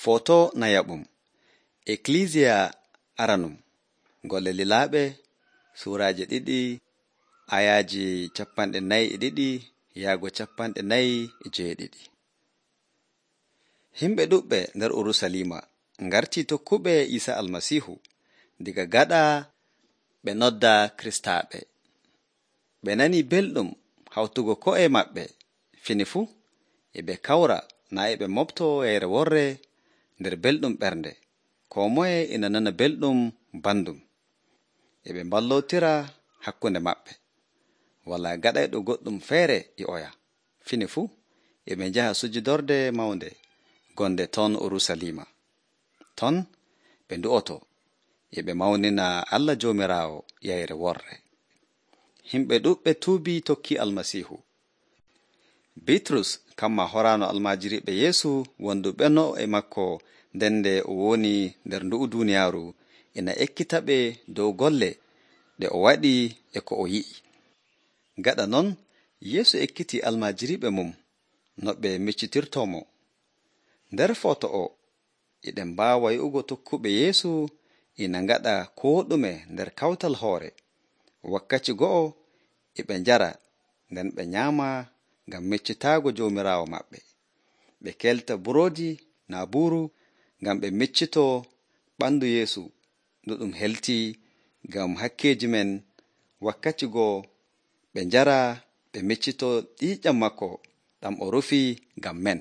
Foto na yaɓum Ecclesia Aranum Golle Lilaaɓe Suuraaje 2 ayaaji 42 yaago 47. Himɓe ɗuɓɓe nder Urusalima ngartii tokkuɓe Iisa Almasiihu diga gaɗa ɓe nodda Kiristaaɓe. Ɓe nanii belɗum hawtugo ko'e maɓɓe fini fuu e ɓe kawra naa e ɓe moɓtoo yeyre worre nder belɗum ɓernde, koo moye ina nana belɗum bandum, e ɓe mballootira hakkunde maɓɓe. Walaa gaɗayɗo goɗɗum feere e oya, fini fuu e ɓe njaha sujudorde mawnde gonde ton Urusalima. Ton ɓe ndu'oto e ɓe mawnina Allah Joomiraawo yeyre worre. Himɓe ɗuɓɓe tuubii tokkii Almasiihu. Bitrus kamma horaano almaajiriiɓe Yeesu wonduɓeno e makko ndende o woni nder ndu'u duuniyaaru ina ekkita ɓe dow golle ɗe o waɗi e ko o yi'i. Gaɗa non Yeesu ekkitii almaajiriiɓe mum no ɓe miccitirtoo-mo. Nder foto o eɗen mbaawa yi'ugo tokkuɓe Yeesu ina ngaɗa koo ɗume nder kawtal hoore. Wakkati go'o e ɓe njara nden ɓe nyaama ngam meccitaago Joomiraawo maɓɓe. Ɓe kelta buroodi naa buuru ngam ɓe meccitoo ɓandu Yeesu ndu ɗum heltii ngam hakkeeji men. Wakkati goo ɓe njara ɓe meccitoo ƴiiƴam makko ɗam o rufii ngam men.